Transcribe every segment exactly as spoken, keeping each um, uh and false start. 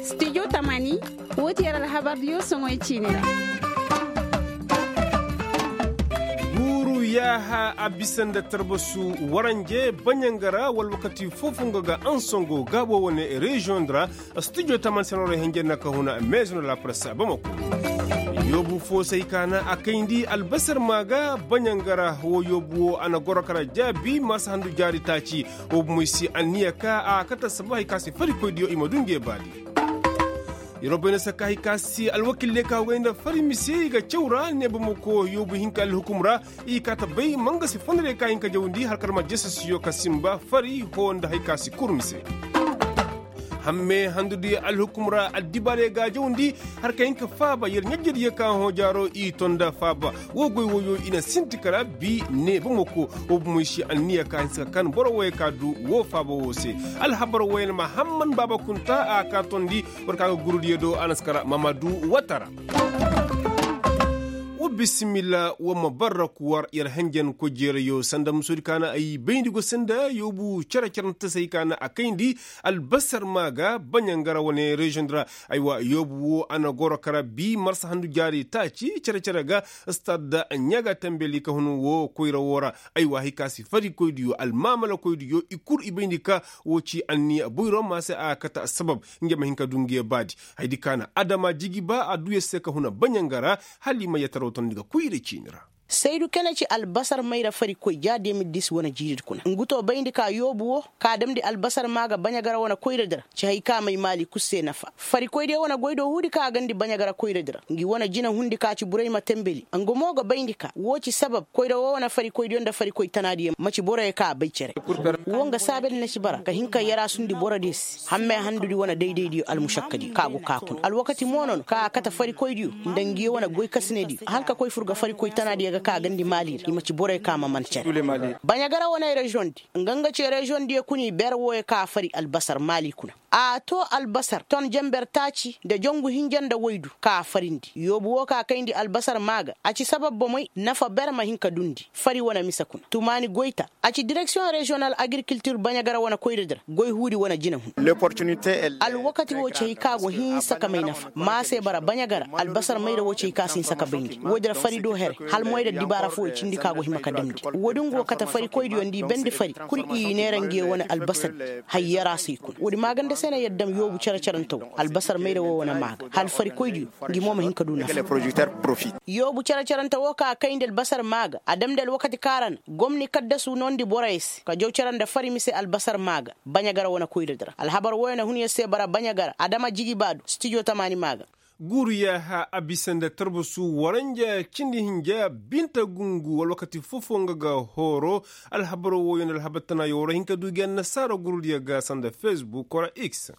Studio tamani, woo ti yer alhabardiyo soŋoy ciini ra. Guuru yaaha a bisa nda tarbasu waranje baɲanga ra wala wakati foo-foo nga ga ansongo gaabo wane reziyoŋ di ra. Studio tamani senoorey henjen na ka huna meezino la presse bamako. Yoobu foo se hay ka na a kayndi albasar maa ga baɲanga ra woo yoobu woo a na goro kara jaabi marsa handu jaari taaci. Woo bumoy si anniya ka a kate assabab hay ka se farikoydiyo i ma du nge baadi. Yeroo bay na sakka hay ka se alwakil diyo ka goy nda fari mise i ga caw ra ne bamako yoobu hinka alhukum ra. I kaata bay mangasi fondorey ka hin ka jawndi har kala ma jesesiyo ka sinba fari hoo nda hay ka si kurmi se. Hamme handudi alhukum ra addibaarey ga jawndi har ka hin ka faaba yer ɲajjadiyo ka hõ jaaro i to nda faaba. Woo goy wooyo i na sinti kala bi ne bamako woo bumoy si anniya ka hinsa ka kan boro wooyo ka du woo faaba woo se. Alhabar wooyo na mahamman baaba kunta a ka tondi. War ka ga gurudiyo do a na si kara mamadu watara. Wa bisimilla wa ma barra kuwar yer henjen kojeerayo sanda musoodi ka na ay bayndi go sanda yoobu cere-cerante se hay ka na a kayndi albasar maa ga baɲangara wane reziyoŋ di ra. Aywa yoobu wo a na goro kara bi marsa handu jaari taaci cere-cere ga stad ɲaga tambeli ka hun wo koyra wo ra. Aywa hay ka si farikoydiyo almaamalakoydiyo i kul i bayndi ka wo ci anniya boyro maa se a kate assabab. Nge ma hin ka du nge baadi. Haydi ka na adama jigi ba a du yer se ka huna baɲanga ra hala i ma yataraw tondi ga koyra ciini ra. Saydu kene ci albasar mayra farikoy ja de mil dis wane jiiridi kuna ngu to bayndi ka yoobu wo ka damndi albasar maa ga baɲaga ra wane koyradi ra. Ci hay ka may maali kul se nafa farikoydiyo wane goy do huudi ka a gandi baɲaga ra koyradi ra ngi wane jinahundi ka ci buray ma tembeli nga mo ga bayndi ka wo ci sabab koyra wo wane farikoydiyo nda farikoy tanaadiyo ma ci boroyo ka a bay cere. Wo nga saabel na ci bara ka hin ka yaraasundi borodiyo se hamme handudi wane daydaydiyo almušakkadiyo ka go ka kuna alwakati mo no no ka a kate farikoydiyo nda ngiyo wane goykasinediyo hala ka koy fur ga farikoy tanaadiyo ga ka gandi maali ra i ma ci boroyo ka ma man cere. Baɲagara wane reziyoŋ di nga nga ci reziyoŋ diyo kuna i ber wooyo ka a fari albasar maali kuna. A to albasar ton jenber taaci nda jongu hinja nda waydu ka a farindi yoobu woo ka kayndi albasar maa ga a ci sabab bomey nafa ber ma hin ka dundi fari wane mise kuna tumaani goyta. A ci direksiyoŋ reziyonal agirikiltir baɲagara wane koyradi ra goy huudi wane jinahun. Alwakati woo ci hay ka go hinsa ka may nafa maa se bara baɲagara albasar mayra woo ci hay ka si hinsa ka bayndi woodi ra fari do here hala moyra dibaara foo i cindi ka go hima ka damndi. Woodi nga go kate farikoydiyo nda i bandi fari kul i neera ngiyo wane albasardi. Hayyara se i kuna woodi maaganda se na yer dam yoobu cere-cerante woo albasar mayra woo wane maa ga hala farikoydiyo ngi mo ma hin ka du nafa. Yoobu cere-cerante woo ka kayndi albasar maa ga a damndi alwakati ka ra na gomni kaddasu noondi boroyo se ka jaw cere nda fari mise albasar maa ga baɲagara wane koyradi ra alhabar wooyo na hun yer se bara baɲagara adama jigi baadu stijo tamaani maa ga. Guuru yaaha a bisa nda tarbasu waranja cindi hinja binta gungu wala wakati foo-foo nga ga horo. Alhabar wooyo nda alhabar tana yooro hin ka du gi annasaara gurudiyo ga sanda fesbuk wala x.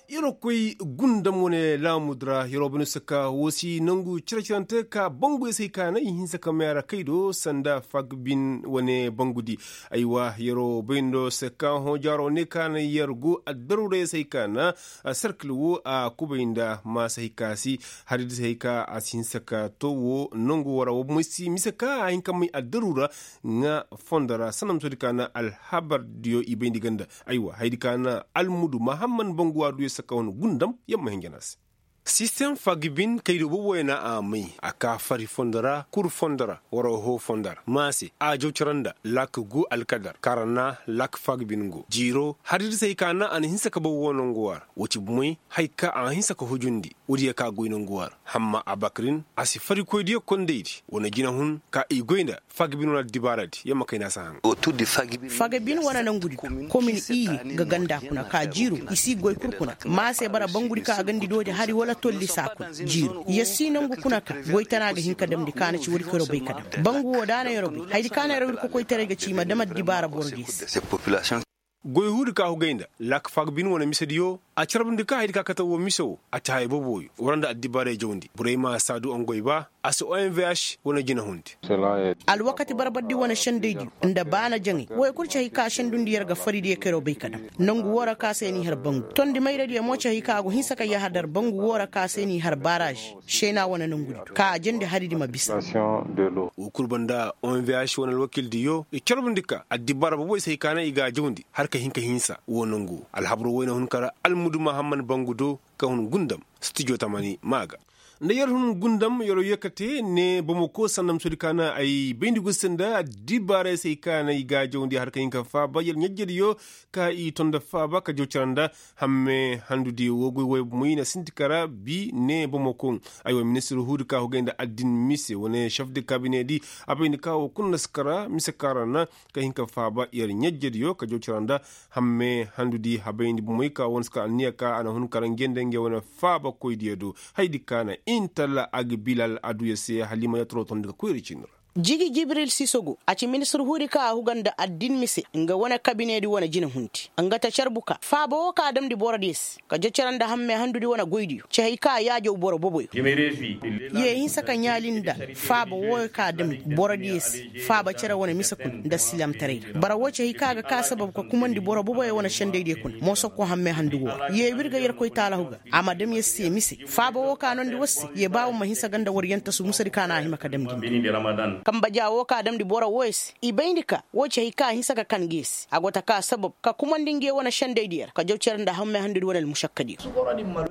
Yeroo koy gundam wane laamudi ra yeroo bane saka woo si nangu cere-cerante ka banguyo se hay ka na i hinsa ka may a ra kay do sanda fagbin wane bangudi. Aywa yeroo bayndo saka hõ jaaroo ne ka na yer go addaruurey se hay ka na sarkil woo a kubay nda maasa hay ka si haridi se hay ka a si hinsa ka too woo nangu woo ra woo bomoy si mise ka a hin ka may addaruura. Nga fondo ra sanda musoodi ka na alhabardiyo i bayndi ga nda aywa haydi ka na almudu mahamman bangu a du yer saka wane gundam yer ma hinja na a se. Sistem fagibin kaydo boobo yer na a may a ka fari fondo ra kuru fondo ra wara hoo fondo ra maase a jaw cere nda lak gu alkadar kaŋ ra na lak fagibin go jiiro haridi se hay ka na a na hinsa ka boobo woo nangu woo ra woo ci bomey hay ka a hinsa ka hujundi woodiyo ka goy nangu woo ra hamma abakarin a si farikoydiyo kondaydi wane jinahun ka i goy nda fagibin wane addibaaradi yer ma kayna si a haŋ. Fagabin wane nangudi komin iyye ga ganda kuna ka jiiru i si goy kul kuna ma a se bara bangudi ka a gandi doodi hari wala tolli saa kuna jiiru yer si nangu kuna ka goy tana ga hin ka damndi ka na ci woodi ka yeroo bay ka dam bangu woo da a na yeroo bay hayadi ka na yeroo ir kokoytaray ga ci i ma dam addibaara borodiyo se. Goy huudi ka hugay nda lak fagabin wane misediyo. a carbundi ka haydi ka kate woo mise woo a ci haya boboyo war nda addibaaray jawndi borey ma saa du ongoy ba a si onvh wane jinahundi. Alwakati barbardi wane sendaydiyo nda baana jaŋay woy kul ci hay ka sendundi yer ga fari diya kayroo bay ka daŋ. Nangu woo ra ka se n'i har bangu tondi mayradiyo mo ci hay ka a go hinsa ka yahadar bangu woo ra ka se n'i har baarazi seena wane nangudi do ka a jandi haridi ma bisa. Woo kul banda onvh wane alwakildiyo i carbundi ka addibaara boboy se hay ka naŋ i ga a jawndi har ka hin ka hinsa woo nangu woo alhabaro woy na hun ka ra almuduma hamman bangu do ka hun gundam stijo tamani ma ga. Nda yer hun gundam yeroo yee kate ne bamako sanda musudi ka naŋ ay bayndi go se nda addibaarey se hay ka naŋ i ga a jawndi har ka hin ka faaba yer ɲajjediyo ka i to nda faaba ka jaw cara nda hamme handudi woo goy woy moy na sinti kara bi ne bamako. Aywa ministir huudi ka hugay nda addin mise wane chef de kabinedi a bayndi ka woo kul na si kara mise ka ra na ka hin ka faaba yer ɲajjediyo ka jaw cara nda hamme handudi habayndi bomoy ka wane si kara anniya ka a na hun kara nge nda nge wane faabakoydiyo do. Haydi ka na intala a ga bilal aduya se halima ya torotondi ka koyri cindi ra. Jigi jibril sisogo a ci ministir huudi ka a huga nda addin mise nga wane kabinedi wane jinahundi nga ta carbu ka faaba woo ka a damndi borodiyo se ka jacara nda hamme handudi wane goydiyo ci hay ka a yaajaw boro boboyo. Ye hinsa ka ɲaali nda faaba wooyo ka a damndi borodiyo se faaba cere wane mise kuna nda silaamtaray ra bara woo ci hay ka a ga ka sabab ka kumandi boro boboyo wane sendaydiyo kuna moosokko hamme handu woo ra ye w'ir ga yerkoy taalahu ga a ma dam yer se mise faaba woo ka noondi war se ye ba war ma hinsa ga nda war yantasu musadi ka na a hima ka damndi nda. Kamba ja woo ka damndi boro wooyo se i bayndi ka woo ci hay ka a hinsa ka kan nge se a go ta ka sabab ka kumandi nge wane sendaydiyo ra ka jaw cere nda hamme handudi wane almušakkadiyo.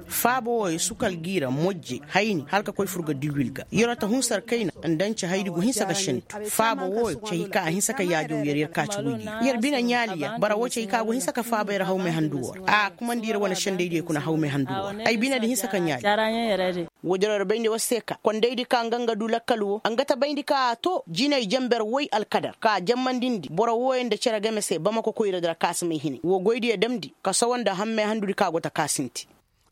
Faaba wooyo sukal gi ra mojje hayni hala ka koy fur ga diwil ga yeroo ta hunsar kayna nda nce haydi go hinsa ka sentu. Faaba wooyo ci hay ka a hinsa ka yaajaw yer yer ka ci woydiyo yer bine ɲaali yer bara woo ci hay ka go hinsa ka faaba yer hawmay handu woo ra a kumandi yer wane sendaydiyo kuna hawmay handu woo ra ay binedi hinsa ka ɲaali. Woodin ra bayndi war se ka kondaydi ka nga nga du lakkal woo nga ta bayndi ka a to jinay jenber woy alkadar ka jammandindi boro wooyo nda cere game se bamako koyradi ra ka si may hinay woo goydiyo damndi ka sowo nda hammey handudi ka go ta ka sinti.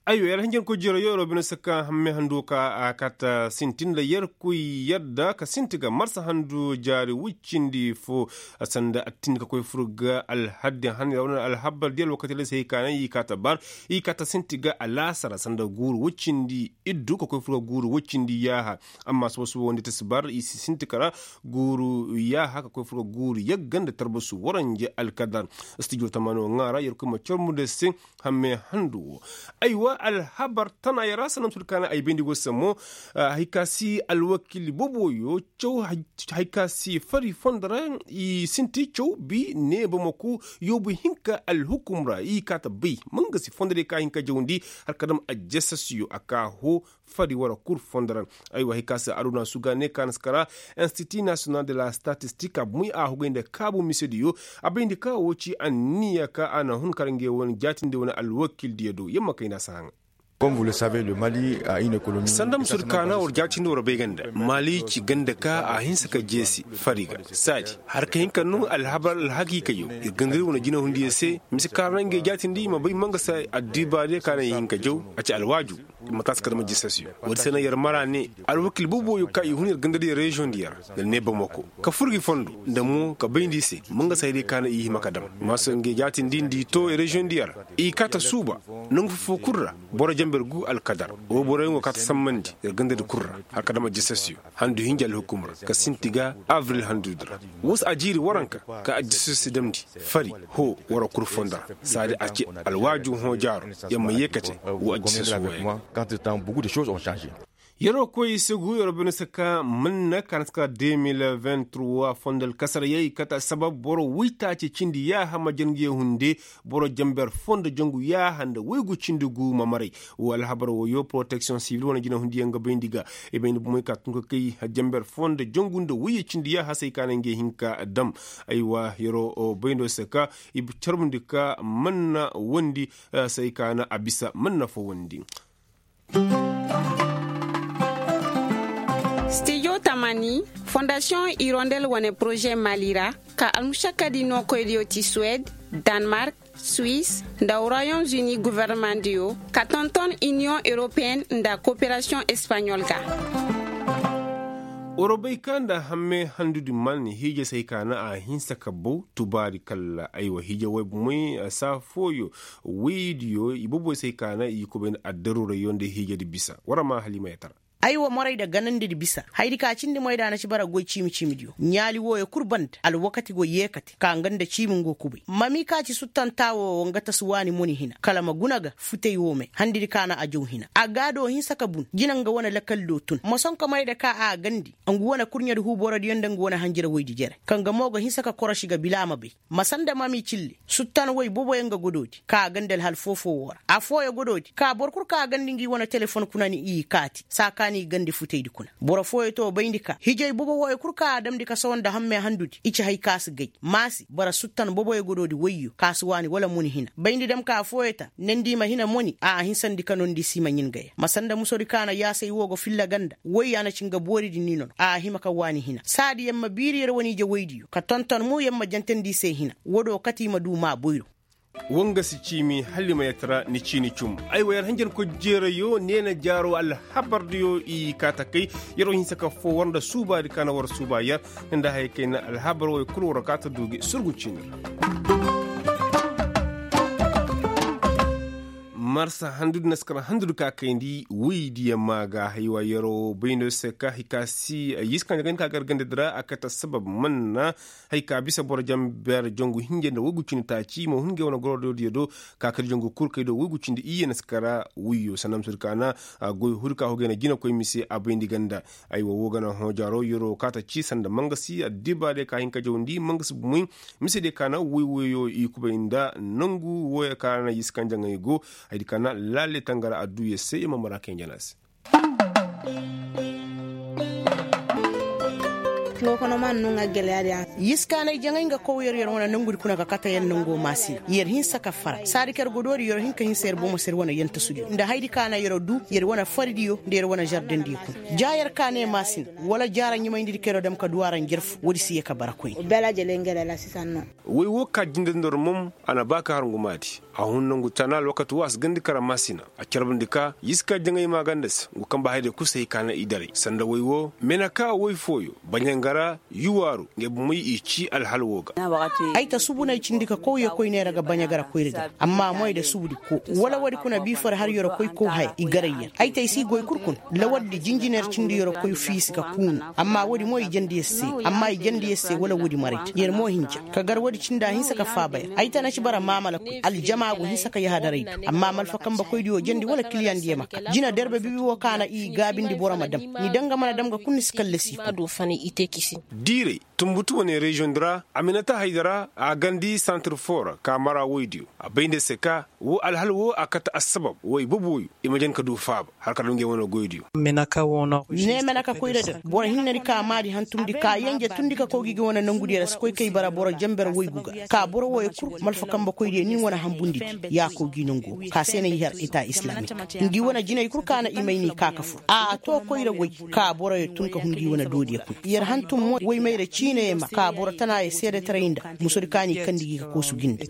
Aywa yer hinjankoy jiro yo yer wo bine se ka hammey handu ka a kaata sinti nda yerkoy yadda ka sinti ga marsa handu jaari woy cindi fo. Sanda a tindi ka koy fur ga alhaddi han yer wane alhabar di alwakati ra se hay ka naŋ i kaata bar i kaata sinti ga alaasara sanda guuru woy cindi iddu ka koy fur ga guuru woy cindi yaaha. Amma sohõ sohõ wande tasibar i si sinti kara guuru yaaha ka koy fur ga guuru yagga nda tarbasu waranje alkadar. Stijo tamano ŋaara yerkoy ma cormu nda se hamme handu wo. Aywa alhabar tana yara sanam sud kaana ay bayndi go sammo. Hay ka si alwakil boboyo caw hay ka si fari fondo ra i sinti caw bi ne bamako yoobu hinka alhukum ra i kaata bay manga si fondo de ka hinka jawndi har ka dam ajasasiyo a ka ho fari wara kul fondo ra. Aywa hay ka si aduna suga ne ka na si kara institut national de la statistique a bumay a hugay nda kaabu misediyo a bayndi ka wo ci anniya ka a na hun kara ngey wane jaatindi wane alwakildiyo do yamma kayna si haŋa. Sanda musur kaana war jaatindi war bay ganda mali ci ganda ka a hinsa ka jeesi fari ga saadi har ka hin ka num alhabar alhakiikayo ir gangari wane jinahundiyo se mise kaara na ngey jaatindi i ma bay manga se addibaadiyo ka na i hin ka jaw a ci alwaaju. Mataasi ka dama jisasiyo woodi se na yer mara ne alwakil boboyo ka i hun yer gandadiyo reziyoŋ diyo ra nda ne bamako ka fur gi fondo nda mo ka bayndi i se manga se hayadiyo ka na i hima ka dam. Maasa ngey jaatindi nda i to reziyoŋ diyo ra i kaata suuba nangu fofo kul ra boro jamber gu alkadar wo boroyaŋo kaata sammandi yer gandadi kul ra har ka dama jisasiyo handu hinja alhukum ra ka sinti ga abril handudi ra. Wo si a jiiri waranka ka addiso si damndi fari ho wara kul fondo ra saadi a ci alwaaju hõ jaaro yer ma yeekate. Wo addiso si wooyaŋ. Yer wo koy segu yer wo bine se ka manna ka na si ka deux mille vingt-trois fondo alkasarayey kate asabab boro woytaaci cindi yaaha ma jangu ye hunde boro jamber fondo jangu yaaha nda woygu cindi gu ma maray. Wo alhabar woyo protection civil wane jinahundiyaŋ ga bayndi ga i bayndi bomey ka tun ka kay jamber fondo jangu nda woyye cindi yaaha se ay ka na ngey hin ka dam. Aywa yer wo bayndo se ka i carbundi ka manna wondi se ay ka na a bisa manna fo wondi. Stijo tamani fondasiyoŋ irondel wane poroze mali ra ka almušakkadi nookoydiyo ti suwed, danmark, swis nda royaume uni governemandiyo ka tonton iniyoŋ europeyen nda koperasiyoŋ espaɲol ga. War bay ka nda hamme handudi man hiije se hay ka na a hinsa ka baw tubaari kalla aywa hiije way bumey saa fooyo. Waydiyo i boboy se hay ka na i kubay nda addaruurayyo nda hiijedi bisa war ma halima yatara. Aywa moray nda ganandidi bisa haydi ka cindi moy da na ci bara goy ciimi ciimidiyo ɲaali wooyo kul banda alwakati go yeekate ka nga nda ciimi nga kubay mami ka ci suttan taawo wo nga tasu waani moni hina kala ma guna ga futey wo me handidi ka na a jaw hina a gaado hinsa ka bun jina nga wane lakallo tun ma sonka moy da ka a gandi ngu wane kurɲedi huuborodiyo nda ngu wane hanjira woydi jere kaŋ ga mo ga hinsa ka korosi ga bila a ma bay. Ma sanda mami cille suttan woy boboyaŋ ga godoodi ka a gandi alhal foofo woo ra affooyo godoodi ka boro kul ka a gandi ngi wane telefon kuna ni i kaati saa ka ni gandi futaydi kuna boro fooyo to bayndi ka hijay bobo wooyo kul ka a damndi ka sohõ nda hamme handudi i ci hay ka si gay maasi bara suttan boboyo godoodi woyyo ka si waani wala muni hina bayndi dam ka affooyo ta nandi i ma hina moni a a hinsandi ka nondi si i ma ɲin gaya ma sanda musodi ka na yaasay woo go filla ganda woy a na ci nga booridi ni nono a a hima ka waani hina saadi yer ma biiri yer wane ije woydiyo ka tonton mo yer ma jantandi i se hina wodo kate i ma du maa boyro. Woo nga si ciimi hala i ma yatara ni ciini cum. Aywa yer hanjarkoy jeerayo neena jaaro alhabardiyo i kaa ta kay. Yer wo hinsa ka foo war nda suubaadi ka na war suuba yer nda haya kay na alhabar woy kul war kaa ta du gi surgu ciini ra. Marsa handudi na si kar handudi ka kayndi woydiyo maa ga haywa yer wo bayndo se ka hay ka si yiska nda gayndi ka gar gandadi ra a kate assabab man na. Hay ka bisa boro jamber jangu hinja nda woygu cindi taaci i ma hun ngey wane gorodiyo do ka kadi jangu kul kay do woygu cindi iyye na si kara woyyo sanda ma sodi ka na goy huri ka hogey na jinakoy mise a bayndi ganda. Aywa woo ga na hõ jaaro yeroo kaa ta ci sanda mangasi addiba day ka hin ka jawndi mangasi bumey. Mise day ka na woy woyoo i kubay nda nangu wooyoo ka na yiskanjaŋey go. Haydi ka na laale tangara adduuya se i ma mara kay njana se. Yiskaanay jaŋay nga kow yer yer wane nangudi kuna ka kate yer nangoo maasina yer hinsa ka fara saadi ka yer godoodi yer hin ka hinsa yer bomo se yer wane yentasudiyo nda haydi ka na yer du yer wane faridiyo nda yer wane žardendiyo kuna. Ja yer ka ne maasina wala jaara ɲumayndidi ka yer dam ka du a ra njarfu woodi si yee ka bara koyne. Woy woo ka jinde nda war mom a na ba ka har ngu maadi. A hun nangu tana alwakati woo a si gandi kara maasina a carbundi ka yiska jaŋay maaganda se ngu kamba hayday kul se hay ka na i daray sanda woy woo mena ka woy fooyo baɲangara yuwaaru ngey bomey i ci alhal woo ga. Ay ta subu no ay cindi ka kow yer koy ne ra ga baɲagara koyra di ra amma moy nda subudi koo wala woodi kuna biifar har yer koy kow haya i garay yer ay ta ay si goy kul kuna. Lawardi jinjiner cindi yer koy fiisi ka kuunu. Amma woodi mo i jandi yer se amma i jandi yer se wala woodi maray ta yer mo hinja ka gar woodi cinda a hinsa ka faaba yer ay ta na ci bara maamala koy aljama go hinsa ka yahadaray du. Amma malfa kambe koydiyo jandi wala kiliyandiyo ma kal jina derbe bibi woo ka na i gaabindi boro ma dam ni daŋ ga mana dam ga kul ni si kallasi i kuna. Diiray tunbutu wane reziyoŋ di ra aminata haydara a gandi santir foo ra ka mara woydiyo a bay nda se ka woo alhal woo a kate assabab woy boboyo i ma jan ka du faaba har ka dam ngey wane goydiyo. Ne meneka koyra din boro hinne di ka maadi hantumndi ka yenje tundi ka kow gi ga wane nangudi ra si koy kay bara boro jenber woygu ga ka boro wooyo kul malfa kambe koydiyo ni wane hanbundi di ya kow gi nangu woo ka se na i har eta islamik. Ngi wane jinay kul ka na i may ni ka ka fur a to koyra woy ka boroyo tun ka hun ngi wane doodiyo kuna yer hantum mo woy mayra ciinayo ma ka boro tanaayo seedetaray nda musodi ka n'i kandi gi ka koosu gi nda.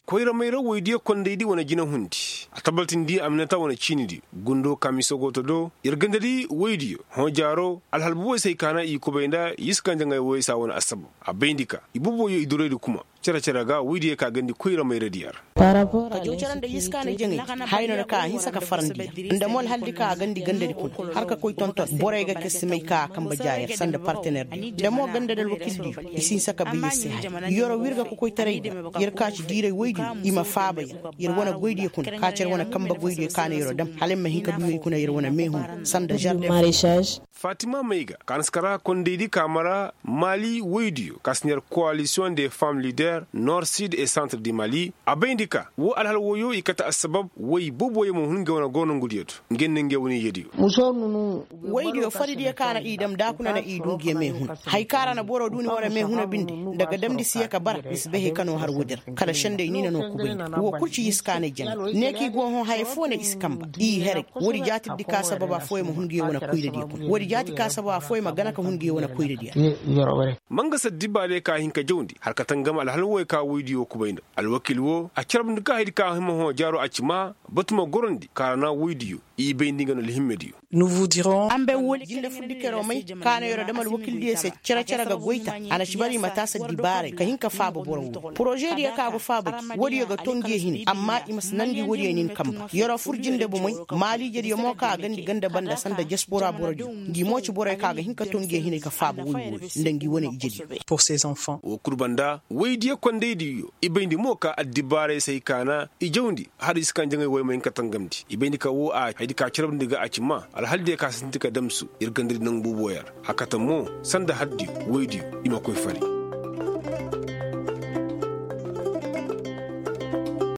Koyra mayra woydiyo kondaydi wane jinahundi a tabaltindi aminata wane ciinidiyo gundo kamiso go to do yer gandadi woydiyo hõ jaaro alhal boboyo se hay ka na i kubay nda yiskanjaŋay woyey se a wane assabab a bayndi ka i boboyo i duraydi kuma. Cere cere ga woydiyo ka gandi koyra mayradiyo ra. Ka jaw cere nda yiskaana jaŋay haya no na ka a hinsa ka farandi yer nda mo alhaldi ka a gandi gandadi kuna har ka koy tonton borey ga kay si may ka a kambe ja yer sanda partenerdiyo nda mo gandadi alwakildiyo i si hinsa ka bay yer se haya yeroo wir ga kokoytaray da yer ka ci diiray woydiyo i ma faaba yer yer wane goydiyo kuna ka ci yer wane kambe goydiyo ka na yeroo dam hala yer ma hin ka du yer kuna yer wane meehun sanda žarden. Fatima mayga ka na si kara kondaydi ka mara maali woydiyo ka si neer koalisiyoŋ de fam lider nor sid e santre di mali a bayndi ka woo alhal woyoo i kate assabab woy boboyo ma hun ngey wane goro nongudiyo do ngey nda ngey wane ijediyo. Woydiyo faridiyo ka na i dam da kuna na i du ngiyo meehuna haya ka ra na boro du ni wane meehuna binde nda ga damndi si yee ka bara ni si bay haya ka noo har woodi ra kala sendey ni na noo kubayndi woo kul ci yiskaanay jaŋay ne ka i go hõ haya foo na i si kamba i heray. Woodi jaatirdi ka sabab affooyaŋ ma hun ngiyo wane koyradiyo kuna woodi jaati ka sabab affooyaŋ ma gana ka hun ngiyo wane koyradiyo ra. Ma nga saddiba day ka hin ka jawndi har ka tangam alhal woy ka woydiyo kubay nda alwakil woo a carbundi ka haydi ka hima hõ jaaro a ci maa batu ma gorandi ka ra na woydiyo. I bayndi nga no alhimmediyo. Jinde furdikeroo may kaana yeroo dam alwakildiyo se cere-cere ga goy ta. A na ci bara i ma taasi addibaaray ka hin ka faaba boro woo porožediyo kaŋ a go faaba gi woodiyo ga to ngiyo hinay amma i ma si nandi woodiyo nin kamba yeroo fur jinde bomey. Maaliijediyo mo kaŋ a gandi ganda banda sanda jasbora borodiyo ngi mo ci borey kaŋ a ga hin ka to ngiyo hinay ka faaba woy wooyo nda ngi wane ijediyo. Woo kul banda woydiyo kondaydiyo i bayndi mo ka addibaaray se ay kaana i jawndi hala i si kaŋ jaŋay woy ma hin ka tangamndi i bayndi ka woo a haydi ka carabndi ga a ci maa alhaldiyo ka sinti ka damsu ir gandadi nangu buuboyaŋ. Hakata mo sanda hardiyo woydiyo i ma koy fari.